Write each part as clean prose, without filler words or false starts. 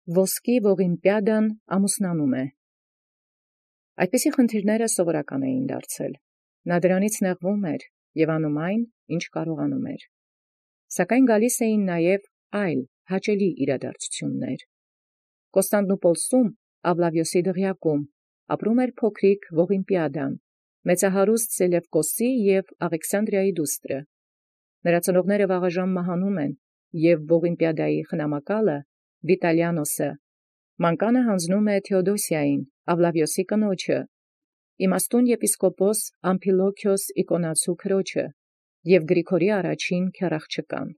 Ոսկի ողիմպիադան ամուսնանում է։ Այդպիսի խնդիրները սովորական էին դարձել։ Նա դրանից նեղվում էր և անում այն, ինչ կարողանում էր։ Սակայն գալիս էին նաև այլ հաճելի իրադարձություններ։ Կոստանդնուպոլսում Ավլավիոսի դղյակում ապրում էր փոքրիկ Ողիմպիադան, մեծահարուստ Սելևկոսի և Աղեքսանդրիայի դուստրը։ Նրա ծնողները վաղաժամ մահանում են, և Ողիմպիադայի խնամակալը Վիտալիանոսը մանկանը հանձնում է Թեոդոսիային, Ավլավիոսի կնոջը, իմաստուն եպիսկոպոս Ամփիլոքիոս Իկոնացու քրոջը և Գրիգորի առաջին քեռաղջկան։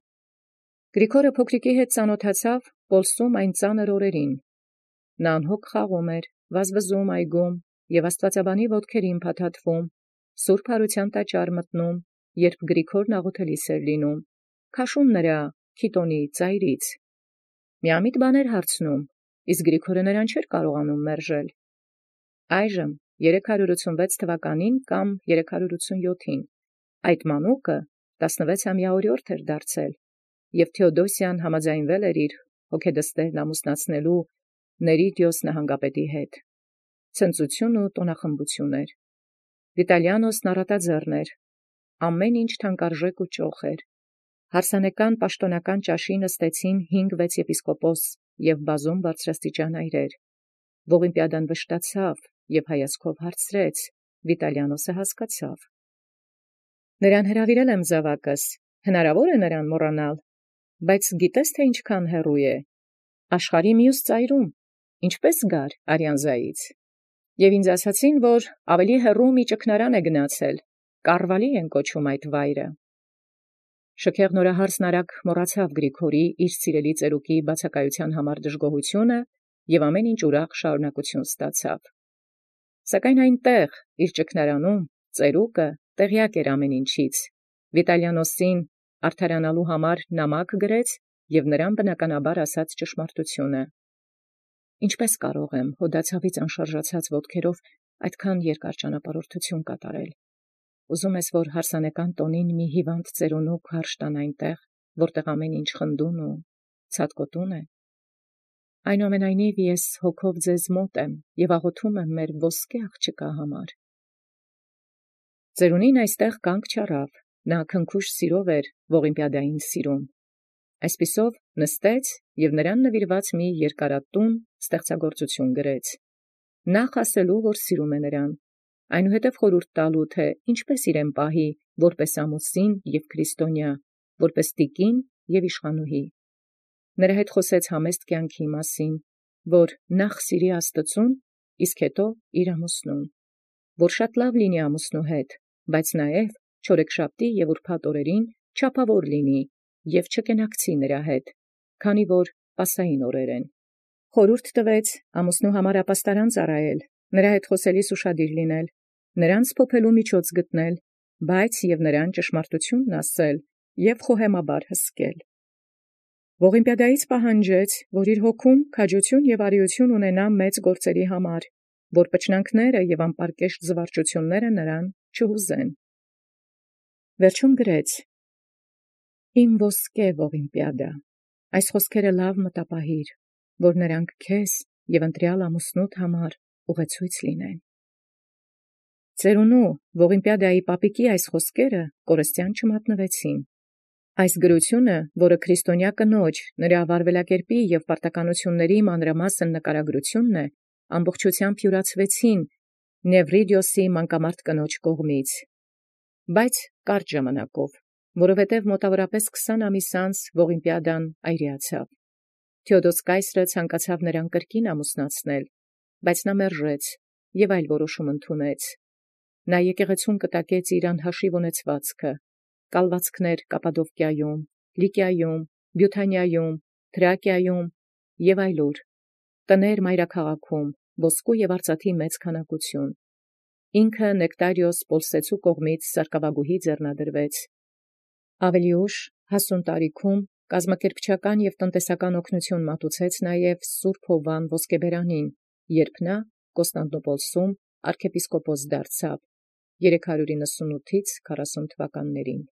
Գրիգորը փոքրիկի հետ ծանոթացավ Պոլսում այն ծանր օրերին։ Նա անհոգ խաղում էր, վազվզում այգում և աստվածաբանի ոտքերին փաթաթվում, սուրբ հարության տաճար մտնում, երբ Գրիգորն աղոթելիս էր լինում, քաշում նրա քիտոնի ծայրից։ Միամիտ բաներ հարցնում, իսկ Գրիգորը նրան չէր կարողանում մերժել։ Այժմ 386 թվականին կամ 387 այդ մանուկը 16-ամյա օրիորդ էր դարձել, և Թեոդոսիան համաձայնվել էր իր հոգեդստերն ամուսնացնելու Ներիդիոս նահանգապետի հետ։ Ցնծություն ու տոնախմբություն էր։ Վիտալիանոսն առատաձեռն էր, ամեն ինչ թանկարժեք ու ճոխ էր։ Հարսանեկան պաշտոնական ճաշի նստեցին 5-6 եպիսկոպոս և բազում բարձրաստիճան այրեր։ Ողիմպիադան վշտացավ և հայացքով հարցրեց, Վիտալիանոսը հասկացավ։ Նրան հրավիրել եմ զավակս, հնարավոր է նրան մոռանալ, բայց գիտես թե ինչքան հեռու է, աշխարհի մյուս ծայրում, ինչպես գար Արիանզայից։ Եվ ինձ ասացին, որ ավելի հեռու մի ճգնարան է գնացել, Կարվալի են կոչում այդ վայրը։ Շքեղ նորահարսն արագ մոռացավ Գրիգորի իր սիրելի ծերուկի բացակայության համար դժգոհությունը և ամեն ինչ ուրախ շարունակություն ստացավ։ Սակայն այնտեղ, իր ճգնարանում, ծերուկը տեղյակ էր ամեն ինչից։ Վիտալիանոսին արդարանալու համար նամակ գրեց և նրան բնականաբար ասաց ճշմարտությունը։ Ինչպես կարող եմ հոդացավից անշարժացած ոտքերով այդքան երկար ճանապարհորդություն կատարել։ Ուզում ես, որ հարսանեկան տոնին մի հիվանդ ծերունու քարշ տան այնտեղ, որտեղ ամեն ինչ խնդուն ու ցատկոտուն է։ Այնուամենայնիվ ես հոգով ձեզ մոտ եմ և աղոթում եմ մեր ոսկե աղջկա համար։ Ծերունին այստեղ կանգ չառավ, նա քնքուշ սիրով էր Ողիմպիադային սիրում։ Այսպիսով նստեց և նրան նվիրված մի երկարատուն ստեղծագործություն գրեց։ Նախ ասելու, որ սիրում է նրան, այնուհետև խորհուրդ տալու, թե ինչպես իրեն պահի, որպես ամուսին և քրիստոնյա, որպես տիկին և իշխանուհի։ Նրա հետ խոսեց համեստ կյանքի մասին, որ նախ սիրի Աստծուն, իսկ հետո իր ամուսնուն, որ շատ լավ լինի ամուսնու հետ, բայց նաև չորեքշաբթի և ուրբաթ օրերին չափավոր լինի և չկենակցի նրա հետ, քանի որ պասային օրեր են։ Խորհուրդ տվեց ամուսնու համար ապաստարան ծառայել, նրա հետ խոսելիս ուշադիր լինել, նրան սփոփելու միջոց գտնել, բայց և նրան ճշմարտությունն ասել և խոհեմաբար հսկել։ Ողիմպիադայից պահանջեց, որ իր հոգում քաջություն և արիություն ունենա մեծ գործերի համար, որ պճնանքները և անպարկեշտ զվարճությունները նրան չհուզեն։ Վերջում գրեց. «Իմ ոսկե Ողիմպիադա, այս խոսքերը լավ մտապահիր, որ նրանք քեզ և ընտրյալ ամուսնուդ համար ուղեցույց լինեն»։ Ծերունու Ողիմպիադայի պապիկի այս խոսքերը կորստյան չմատնվեցին։ Այս գրությունը, որը քրիստոնյա կնոջ, նրա վարվելակերպի և պարտականությունների մանրամասն նկարագրությունն է, ամբողջությամբ յուրացվեցին Նևրիդիոսի մանկամարտ կնոջ կողմից, բայց կարճ ժամանակով, որովհետև մոտավորապես 20 ամիս անց Ողիմպիադան այրիացավ։ Թեոդոս կայսրը ցանկացավ նրան կրկին ամուսնացնել, բայց նա մերժեց և այլ որոշում ընդունեց։ Նա եկեղեցուն կտակեց իր անհաշիվ ունեցվածքը, կալվածքներ Կապադովկիայում, Լիկիայում, Բյութանիայում, Թրակիայում և այլուր, տներ մայրաքաղաքում, ոսկու և արծաթի մեծ քանակություն։ Ինքը Նեկտարիոս Պոլսեցու կողմից սարկավագուհի ձեռնադրվեց։ Ավելի ուշ հասուն տարիքում կազմակերպչական և տնտեսական օգնություն մատուցեց նաև Սուրբ Հովվան ոսկեբերանին, երբ նա Կոստանդնուպոլսում arczepiskopos դարձավ 398-40 թվականներին։